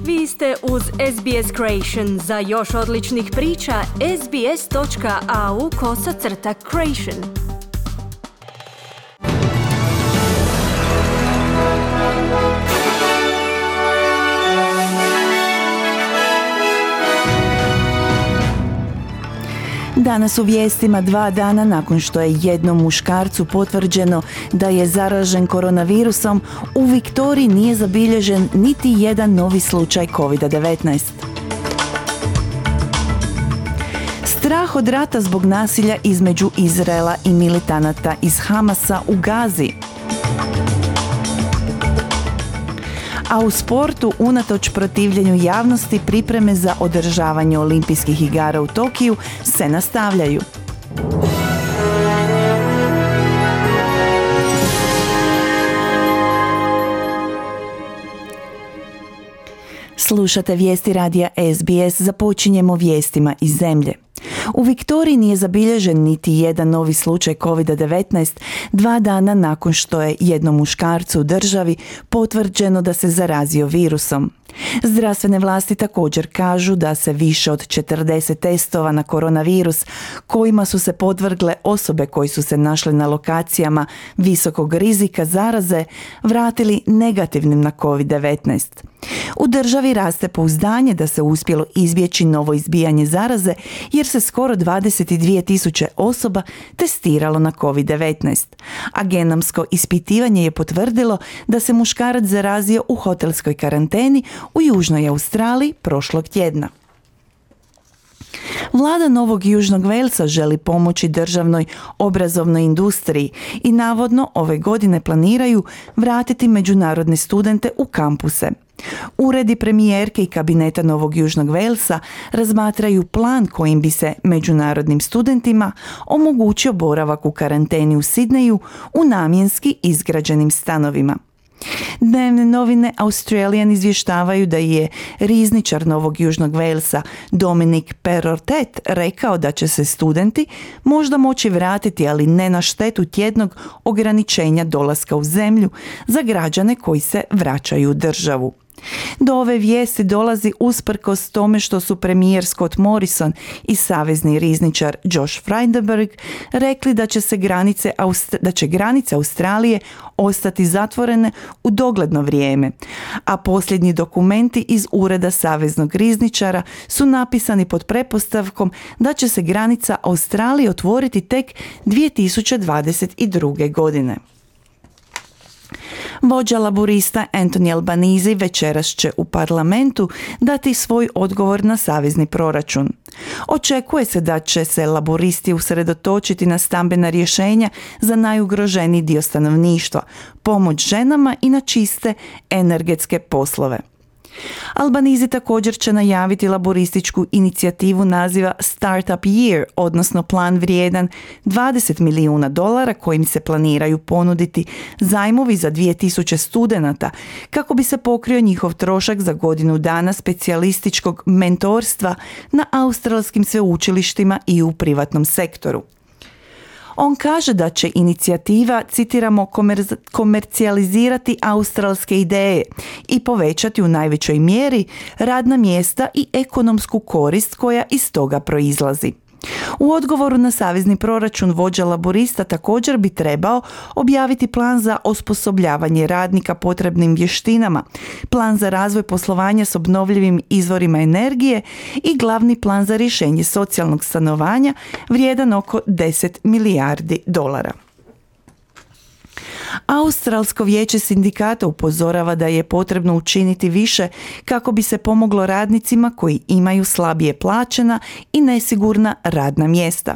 Vi ste uz SBS Creation. Za još odličnih priča, sbs.au/creation. Danas u vijestima 2 dana nakon što je jednom muškarcu potvrđeno da je zaražen koronavirusom, u Viktoriji nije zabilježen niti jedan novi slučaj COVID-19. Strah od rata zbog nasilja između Izraela i militanata iz Hamasa u Gazi. A u sportu, unatoč protivljenju javnosti, pripreme za održavanje olimpijskih igara u Tokiju se nastavljaju. Slušate vijesti radija SBS, započinjemo vijestima iz zemlje. U Viktoriji nije zabilježen niti jedan novi slučaj COVID-19 2 dana nakon što je jednom muškarcu u državi potvrđeno da se zarazio virusom. Zdravstvene vlasti također kažu da se više od 40 testova na koronavirus kojima su se podvrgle osobe koji su se našle na lokacijama visokog rizika zaraze vratili negativnim na COVID-19. U državi raste pouzdanje da se uspjelo izbjeći novo izbijanje zaraze jer se skoro 22.000 osoba testiralo na COVID-19. A genomsko ispitivanje je potvrdilo da se muškarac zarazio u hotelskoj karanteni u Južnoj Australiji prošlog tjedna. Vlada Novog Južnog Velsa želi pomoći državnoj obrazovnoj industriji i navodno ove godine planiraju vratiti međunarodne studente u kampuse. Uredi premijerke i kabineta Novog Južnog Velsa razmatraju plan kojim bi se međunarodnim studentima omogućio boravak u karanteni u Sidneju u namjenski izgrađenim stanovima. Dnevne novine Australian izvještavaju da je rizničar Novog Južnog Velsa Dominic Perrottet rekao da će se studenti možda moći vratiti, ali ne na štetu tjednog ograničenja dolaska u zemlju za građane koji se vraćaju u državu. Do ove vijesti dolazi usprkos tome što su premijer Scott Morrison i savezni rizničar Josh Frydenberg rekli da će granice Australije ostati zatvorene u dogledno vrijeme, a posljednji dokumenti iz ureda saveznog rizničara su napisani pod pretpostavkom da će se granica Australije otvoriti tek 2022. godine. Vođa laburista Anthony Albanese večeras će u parlamentu dati svoj odgovor na savezni proračun. Očekuje se da će se laburisti usredotočiti na stambena rješenja za najugroženiji dio stanovništva, pomoć ženama i na čiste energetske poslove. Albanese također će najaviti laborističku inicijativu naziva Startup Year, odnosno plan vrijedan $20 milijuna kojim se planiraju ponuditi zajmovi za 2000 studenata kako bi se pokrio njihov trošak za godinu dana specijalističkog mentorstva na australskim sveučilištima i u privatnom sektoru. On kaže da će inicijativa, citiramo, komercijalizirati australske ideje i povećati u najvećoj mjeri radna mjesta i ekonomsku korist koja iz toga proizlazi. U odgovoru na savezni proračun vođa laborista također bi trebao objaviti plan za osposobljavanje radnika potrebnim vještinama, plan za razvoj poslovanja s obnovljivim izvorima energije i glavni plan za rješenje socijalnog stanovanja vrijedan oko $10 milijardi. Australsko vijeće sindikata upozorava da je potrebno učiniti više kako bi se pomoglo radnicima koji imaju slabije plaćena i nesigurna radna mjesta.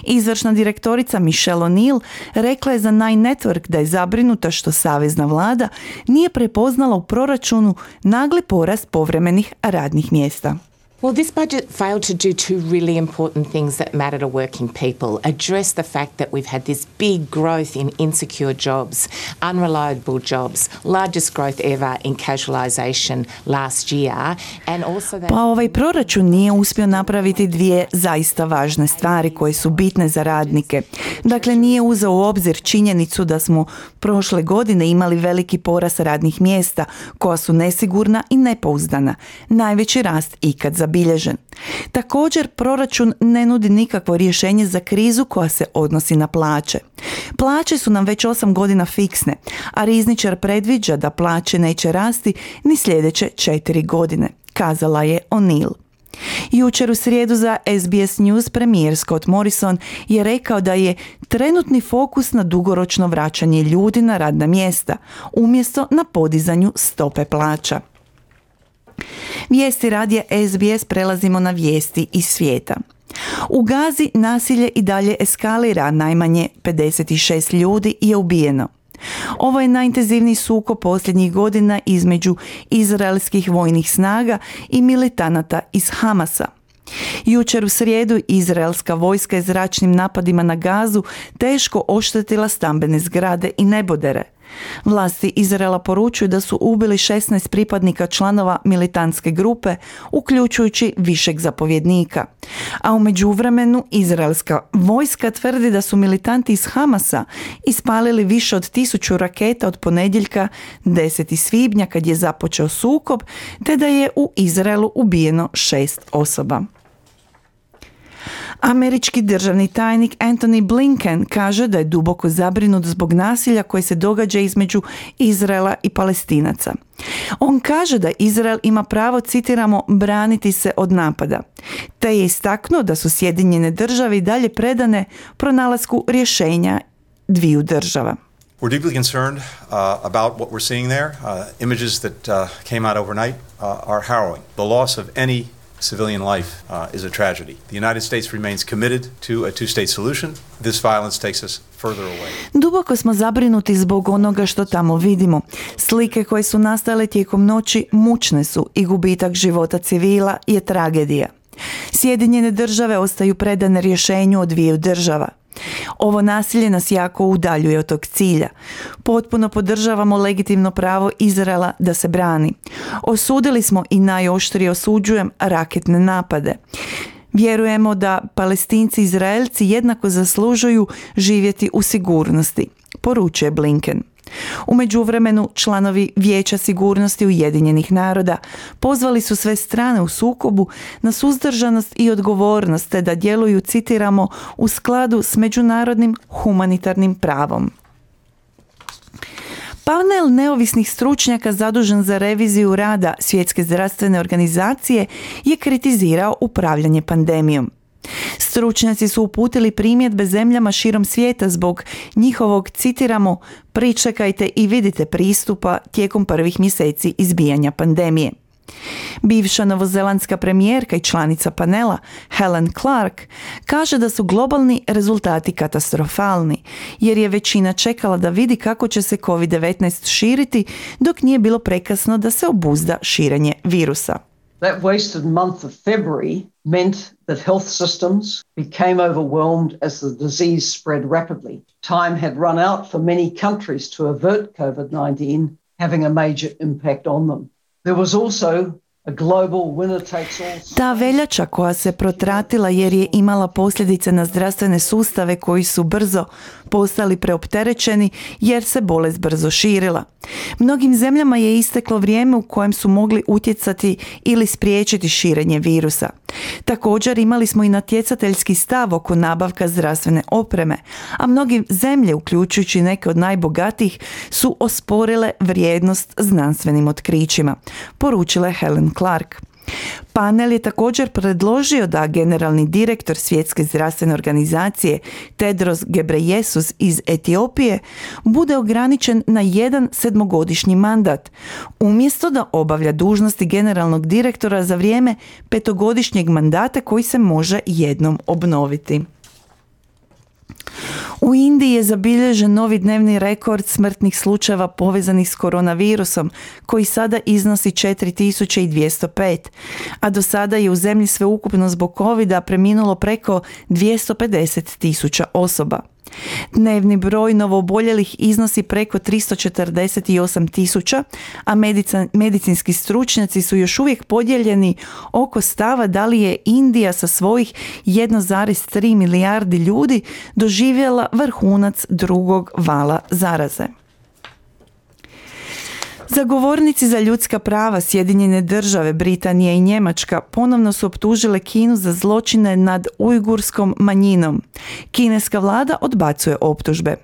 Izvršna direktorica Michelle O'Neill rekla je za Nine Network da je zabrinuta što savezna vlada nije prepoznala u proračunu nagli porast povremenih radnih mjesta. Well, this budget failed to do two really important things that matter to working people. Address the fact that we've had this big growth in insecure jobs, unreliable jobs, largest growth ever in casualisation last year, and also that... Pa ovaj proračun nije uspio napraviti dvije zaista važne stvari koje su bitne za radnike. Dakle, nije uzeo u obzir činjenicu da smo prošle godine imali veliki porast radnih mjesta koja su nesigurna i nepouzdana, najveći rast ikad zabilježen. Također, proračun ne nudi nikakvo rješenje za krizu koja se odnosi na plaće. Plaće su nam već 8 godina fiksne, a rizničar predviđa da plaće neće rasti ni sljedeće 4 godine, kazala je O'Neill. Jučer u srijedu za SBS News premijer Scott Morrison je rekao da je trenutni fokus na dugoročno vraćanje ljudi na radna mjesta, umjesto na podizanju stope plaća. Vijesti radija SBS prelazimo na vijesti iz svijeta. U Gazi nasilje i dalje eskalira, najmanje 56 ljudi je ubijeno. Ovo je najintenzivniji sukob posljednjih godina između izraelskih vojnih snaga i militanata iz Hamasa. Jučer u srijedu izraelska vojska je zračnim napadima na Gazu teško oštetila stambene zgrade i nebodere. Vlasti Izraela poručuju da su ubili 16 pripadnika članova militantske grupe, uključujući višeg zapovjednika. A u međuvremenu izraelska vojska tvrdi da su militanti iz Hamasa ispalili više od 1000 raketa od ponedjeljka 10. svibnja kad je započeo sukob, te da je u Izraelu ubijeno 6 osoba. Američki državni tajnik Antony Blinken kaže da je duboko zabrinut zbog nasilja koje se događa između Izraela i Palestinaca. On kaže da Izrael ima pravo, citiramo, braniti se od napada, te je istaknuo da su Sjedinjene Države i dalje predane pronalasku rješenja dviju država. We're deeply concerned about what we're seeing there. Images that came out overnight are harrowing. The loss of any civilian life is a tragedy. The United States remains committed to a two-state solution. This violence takes us further away. Duboko smo zabrinuti zbog onoga što tamo vidimo. Slike koje su nastale tijekom noći mučne su i gubitak života civila je tragedija. Sjedinjene Države ostaju predane rješenju od dviju država. Ovo nasilje nas jako udaljuje od tog cilja. Potpuno podržavamo legitimno pravo Izraela da se brani. Osudili smo i najoštrije osuđujem raketne napade. Vjerujemo da Palestinci i Izraelci jednako zaslužuju živjeti u sigurnosti, poručuje Blinken. U međuvremenu članovi Vijeća sigurnosti Ujedinjenih naroda pozvali su sve strane u sukobu na suzdržanost i odgovornost te da djeluju, citiramo, u skladu s međunarodnim humanitarnim pravom. Panel neovisnih stručnjaka zadužen za reviziju rada Svjetske zdravstvene organizacije je kritizirao upravljanje pandemijom. Stručnjaci su uputili primjedbe zemljama širom svijeta zbog njihovog, citiramo, pričekajte i vidite pristupa tijekom prvih mjeseci izbijanja pandemije. Bivša novozelandska premijerka i članica panela Helen Clark kaže da su globalni rezultati katastrofalni, jer je većina čekala da vidi kako će se COVID-19 širiti dok nije bilo prekasno da se obuzda širenje virusa. That wasted month of February meant that health systems became overwhelmed as the disease spread rapidly. Time had run out for many countries to avert COVID-19, having a major impact on them. There was also a global winner takes all. Ta veljača koja se protratila jer je imala posljedice na zdravstvene sustave koji su brzo postali preopterećeni jer se bolest brzo širila. Mnogim zemljama je isteklo vrijeme u kojem su mogli utjecati ili spriječiti širenje virusa. Također imali smo i natjecateljski stav oko nabavka zdravstvene opreme, a mnoge zemlje, uključujući neke od najbogatijih, su osporile vrijednost znanstvenim otkrićima, poručila je Helen Clark. Panel je također predložio da generalni direktor Svjetske zdravstvene organizacije Tedros Ghebreyesus iz Etiopije bude ograničen na 1 7-godišnji mandat, umjesto da obavlja dužnosti generalnog direktora za vrijeme 5-godišnjeg mandata koji se može jednom obnoviti. U Indiji je zabilježen novi dnevni rekord smrtnih slučajeva povezanih s koronavirusom, koji sada iznosi 4205, a do sada je u zemlji sveukupno zbog covida preminulo preko 250.000 osoba. Dnevni broj novooboljelih iznosi preko 348.000, a medicinski stručnjaci su još uvijek podijeljeni oko stava da li je Indija sa svojih 1,3 milijardi ljudi doživjela vrhunac drugog vala zaraze. Zagovornici za ljudska prava Sjedinjene Države, Britanija i Njemačka ponovno su optužile Kinu za zločine nad ujgurskom manjinom. Kineska vlada odbacuje optužbe.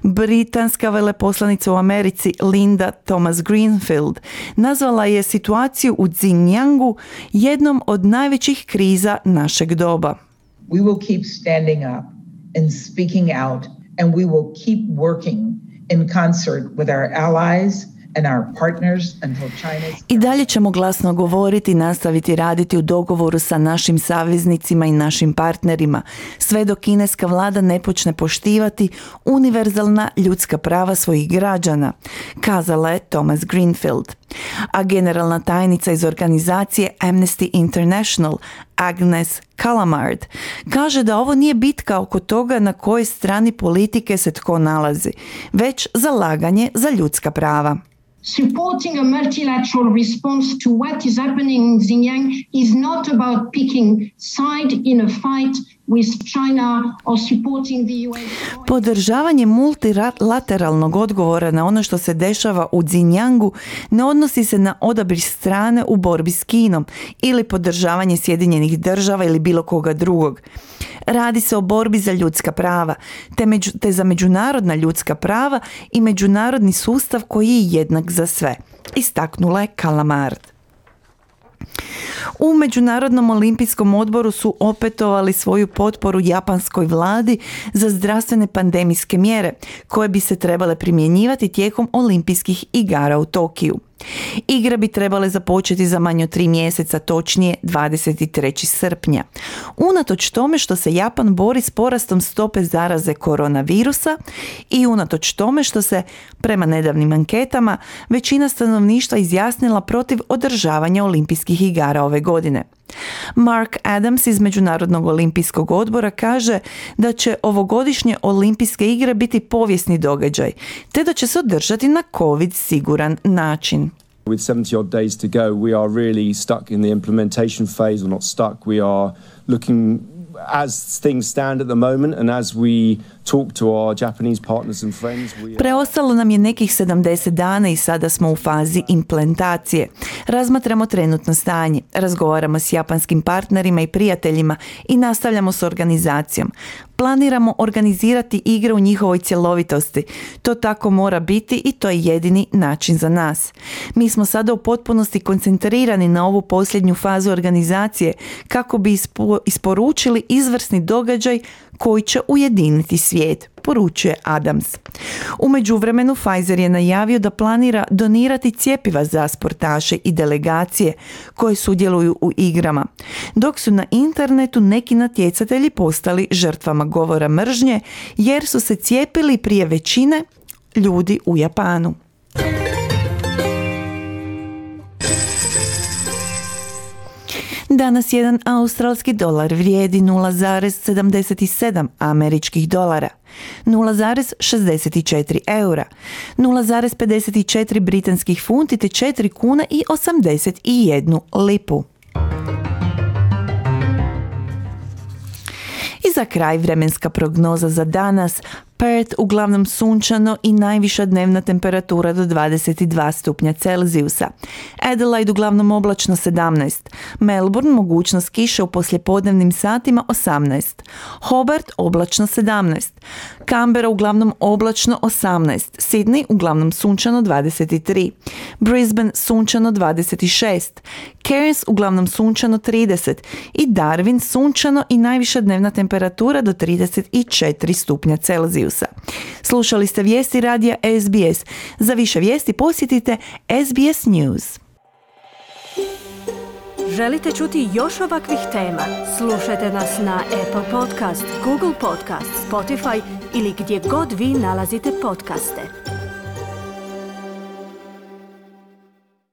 Britanska veleposlanica u Americi Linda Thomas-Greenfield nazvala je situaciju u Xinjiangu jednom od najvećih kriza našeg doba. We will keep standing up and speaking out, and we will keep working in concert with our allies and our partners until China's... I dalje ćemo glasno govoriti i nastaviti raditi u dogovoru sa našim saveznicima i našim partnerima, sve dok kineska vlada ne počne poštivati univerzalna ljudska prava svojih građana, kazala je Thomas-Greenfield. A generalna tajnica iz organizacije Amnesty International, Agnes Callamard, kaže da ovo nije bitka oko toga na kojoj strani politike se tko nalazi, već zalaganje za ljudska prava. Supporting a multilateral response to what is happening in Xinjiang is not about picking side in a fight with China or supporting the US. Podržavanje multilateralnog odgovora na ono što se dešava u Xinjiangu ne odnosi se na odabir strane u borbi s Kinom ili podržavanje Sjedinjenih Država ili bilo koga drugog. Radi se o borbi za ljudska prava, te za međunarodna ljudska prava i međunarodni sustav koji je jednak za sve, istaknula je Callamard. U Međunarodnom olimpijskom odboru su opetovali svoju potporu japanskoj vladi za zdravstvene pandemijske mjere koje bi se trebale primjenjivati tijekom olimpijskih igara u Tokiju. Igre bi trebale započeti za manje od 3 mjeseca, točnije 23. srpnja. Unatoč tome što se Japan bori s porastom stope zaraze koronavirusa i unatoč tome što se, prema nedavnim anketama, većina stanovništva izjasnila protiv održavanja olimpijskih igara ove godine. Mark Adams iz Međunarodnog olimpijskog odbora kaže da će ovogodišnje olimpijske igre biti povijesni događaj, te da će se održati na COVID siguran način. With 70 odd days to go, we are really stuck in the implementation phase, or not stuck, we are looking as things stand at the moment and as we talk to our Japanese partners and friends. Preostalo nam je nekih 70 dana i sada smo u fazi implementacije. Razmatramo trenutno stanje, razgovaramo s japanskim partnerima i prijateljima i nastavljamo s organizacijom. Planiramo organizirati igre u njihovoj cjelovitosti. To tako mora biti i to je jedini način za nas. Mi smo sada u potpunosti koncentrirani na ovu posljednju fazu organizacije kako bi isporučili izvrsni događaj koji će ujediniti svijet, poručuje Adams. U međuvremenu Pfizer je najavio da planira donirati cjepiva za sportaše i delegacije koje sudjeluju u igrama, dok su na internetu neki natjecatelji postali žrtvama govora mržnje jer su se cijepili prije većine ljudi u Japanu. Danas jedan australski dolar vrijedi 0,77 američkih dolara, 0,64 eura, 0,54 britanskih funti te 4 kuna i 81 lipu. I za kraj vremenska prognoza za danas. Perth uglavnom sunčano i najviša dnevna temperatura do 22 stupnja Celzijusa. Adelaide uglavnom oblačno 17. Melbourne mogućnost kiše u poslijepodnevnim satima 18. Hobart oblačno 17. Canberra uglavnom oblačno 18. Sydney uglavnom sunčano 23. Brisbane sunčano 26. Cairns uglavnom sunčano 30. I Darwin sunčano i najviša dnevna temperatura do 34 stupnja Celzijusa. Slušali ste vijesti radija SBS. Za više vijesti posjetite SBS News. Želite čuti još ovakvih tema? Slušajte nas na Apple Podcast, Google Podcast, Spotify ili gdje god vi nalazite podcaste.